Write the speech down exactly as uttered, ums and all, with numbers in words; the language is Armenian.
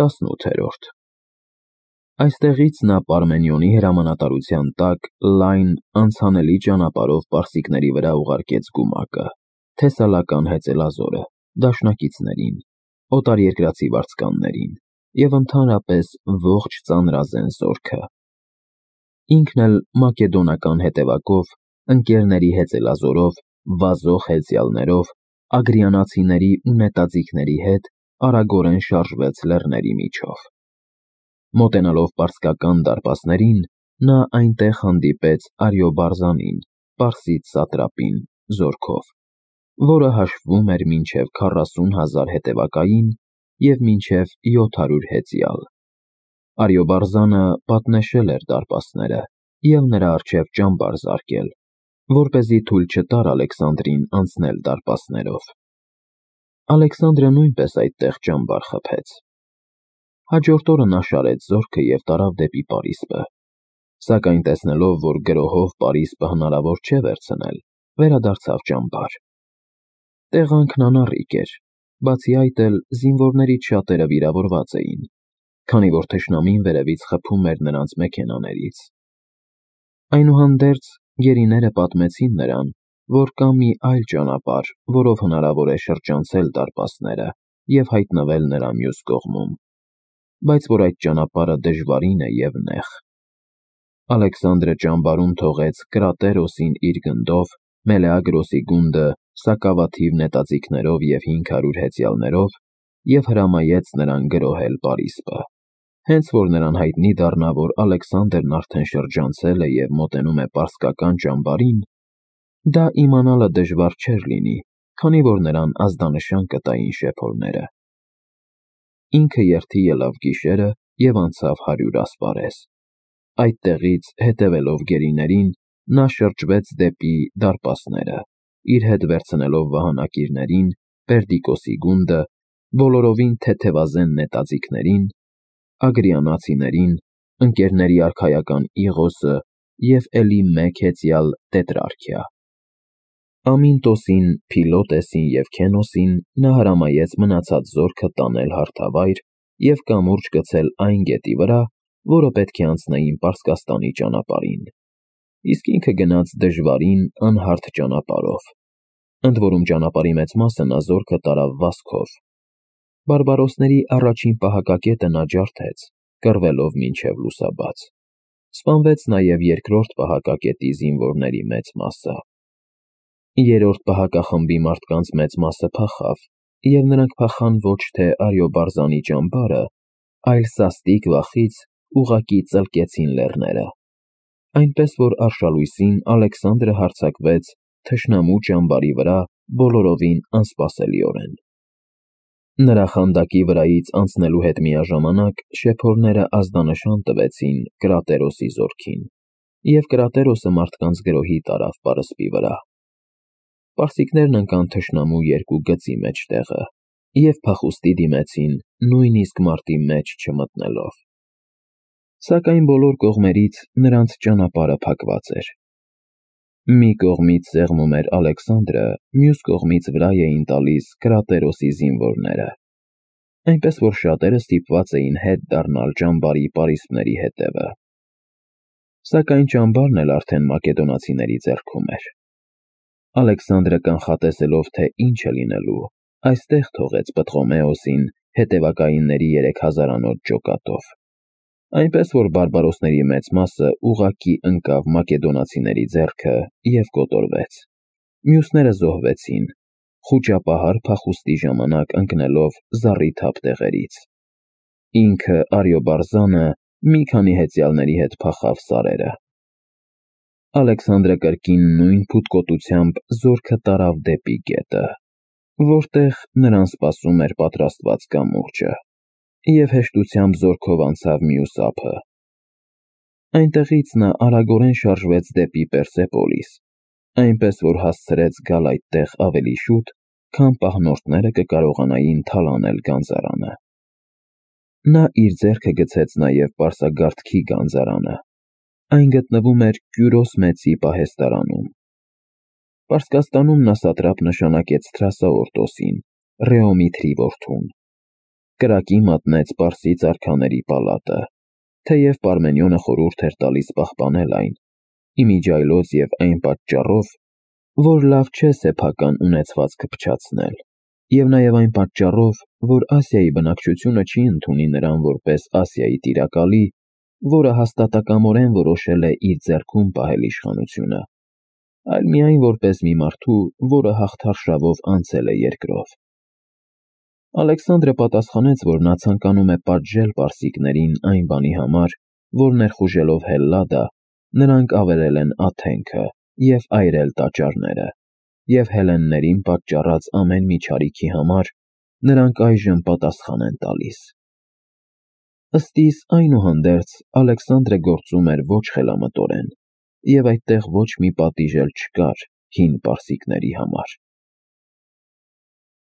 տասնութերորդ Այստեղից նա Պարմենիոնի հրամանատարության տակ լայն, անցանելի ճանապարհով պարսիկների վրա ուղարկեց գումակը, թեսալական հեծելազորը, դաշնակիցներին, օտարերկրացի վարձկաններին և ընդհանրապես ողջ ծանրազեն զորքը։ Ինքն էլ մակեդոնական հետևակով, ընկերների հեծելազորով, վազող հեծյալներով, ագրիանացիների ու նետաձիգների հետ արագորեն շարժվեց լեռների միջով։ Մոտենալով պարսկական դարպասներին, նա այնտեղ հանդիպեց Արիոբարզանին, պարսից սատրապին, զորքով, որը հաշվում էր մինչև քառասուն հազար հետևակային և մինչև յոթ հարյուր հեծյալ։ Արիոբարզանը պատնեշել էր դարպասները և նրա առջև ճամբար զարկել, որպեսզի թույլ չտար Ալեքսանդրին անցնել դարպասներով։ Ալեքսանդրը նույնպես այդտեղ ճամբար խփեց։ Հաջորդ օրը նա շարեց զորքը և տարավ դեպի Պարիսպը, սակայն տեսնելով, որ գրոհով Պարիսպը հնարավոր չէ վերցնել, վերադարձավ ճամբար։ Տեղանքն անառիկ էր, բացի այդ էլ զինվորներից շատերը վիրավորված էին, քանի որ թշնամին վերևից խփում էր նրանց մեքենաներից։ Այնուհանդերձ գերիները պատմեցին նրան, որ կա մի այլ ճանապարհ, որով հնարավոր է շրջանցել դարպասները և հայտնվել նրա մյուս կողմում, բայց որ այդ ճանապարհը դժվարին է և նեղ։ Ալեքսանդրը ճամբարում թողեց Կրատերոսին իր գնդով, Մելեագրոսի գունդը սակավաթիվ նետաձիգներով և հինգ հարյուր հեծյալներով և հրամայեց նրան գրոհել Պարիսպը։ Հենց որ նրան հայտնի դառնա, որ Ալեքսանդրն արդեն շրջանցել է և մոտենում է պարսկական ճամբարին, դա իմանալը դժվար չէր լինի, քանի որ նրան ազդանշան կտային շեփորները։ Ինքը երթի ելավ գիշերը և անցավ հարյուր ասպարեզ։ Այդտեղից, հետևելով գերիներին, նա շրջվեց դեպի դարպասները, իր հետ վերցնելով վահանակիրներին, Պերդիկոսի գունդը, բոլորովին թեթևազեն նետաձիգներին, ագրիանացիներին, ընկերների արքայական Իղոսը և էլի մեկ հեծյալ Տետրարքիա։ Ամինտոսին, Փիլոտեսին և Քենոսին նա հրամայեց մնացած զորքը տանել հարթավայր և կամուրջ գցել այն գետի վրա, որը պետք է անցնեին Պարսկաստանի ճանապարհին, իսկ ինքը գնաց դժվարին, անհարթ ճանապարհով, ընդ որում ճանապարհի մեծ մասը նա զորքը տարավ վազքով։ Բարբարոսների առաջին պահակակետը նա ջարդեց, կռվելով մինչև լուսաբաց։ Սպանվեց նաև երկրորդ պահակակետի զինվորների մեծ մասը։ Երրորդ պահակախմբի մարդկանց մեծ մասը փախավ, և նրանք փախան ոչ թե Արիոբարզանի ճամբարը, այլ սաստիկ վախից ուղղակի ծլկեցին լեռները, այնպես որ արշալույսին Ալեքսանդրը հարձակվեց թշնամու ճամբարի վրա բոլորովին անսպասելիորեն։ Նրա խանդակի վրայից անցնելու հետ միաժամանակ շեփորները ազդանշան տվեցին Կրատերոսի զորքին, և Կրատերոսը մարդկանց գրոհի տարավ պարսպի վրա։ Պարսիկներն ընկան թշնամու երկու գծի մեջտեղը և փախուստի դիմեցին, նույնիսկ մարտի մեջ չմտնելով։ Սակայն բոլոր կողմերից նրանց ճանապարհը փակված էր։ Մի կողմից սեղմում էր Ալեքսանդրը, մյուս կողմից վրա էին տալիս Կրատերոսի զինվորները, այնպես որ շատերը ստիպված էին հետ դառնալ ճամբարի պարիսպների հետևը։ Սակայն ճամբարն էլ արդեն մակեդոնացիների ձեռքում էր։ Ալեքսանդրը կանխատեսելով, թե ինչ է լինելու, այստեղ թողեց Պտղոմեոսին հետևակայինների երեք հազարանոց ջոկատով, այնպես որ բարբարոսների մեծ մասը ուղղակի ընկավ մակեդոնացիների ձեռքը և կոտորվեց։ Մյուսները զոհվեցին, խուճապահար փախուստի ժամանակ ընկնելով զառիթափ տեղերից։ Ինքը Արիոբարզանը մի քանի հեծյալների հետ փախավ սարերը։ Ալեքսանդրը կրկին նույն փութկոտությամբ զորքը տարավ դեպի գետը, որտեղ նրան սպասում էր պատրաստված կամուրջը, և հեշտությամբ զորքով անցավ մյուս ափը։ Այնտեղից նա արագորեն շարժվեց դեպի Պերսեպոլիս, այնպես որ հասցրեց գալ այդտեղ ավելի շուտ, քան պահնորդները կկարողանային թալանել գանձարանը։ Նա իր ձեռքը գցեց նաև պարսագաղթքի գանձարանը։ Այն գտնվում էր Կյուրոս Մեծի պահեստարանում։ Պարսկաստանում նա սատրապ նշանակեց Թրասաորտոսին, Ռեոմիթրի որդուն։ կրակի մատնեց Պարսից արքաների պալատը, թեև Պարմենիոնը խորհուրդ էր տալիս պահպանել այն, իմիջիայլոց և այն պատճառով, որ լավ չէ սեփական ունեցվածքը փչացնել, և նաև այն պատճառով, որ Ասիայի բնակչությունը չի ընդունի նրան որպես Ասիայի տիրակալի, որը հաստատակամորեն որոշել է իր ձեռքում պահել իշխանությունը, այլ միայն որպես մի մարդու, որը հաղթարշավով անցել է երկրով։ Ալեքսանդրը պատասխանեց, որ նա ցանկանում է պատժել պարսիկներին այն բանի համար, որ ներխուժելով Հելլադա, նրանք ավերել են Աթենքը և այրել տաճարները, և հելլեններին պատճառած ամեն մի չարիքի համար նրանք այժմ պատասխան են տալիս։ Ըստ իս, այնուհանդերձ, Ալեքսանդրը գործում էր ոչ խելամտորեն, և այդտեղ ոչ մի պատիժ էլ չկար հին պարսիկների համար։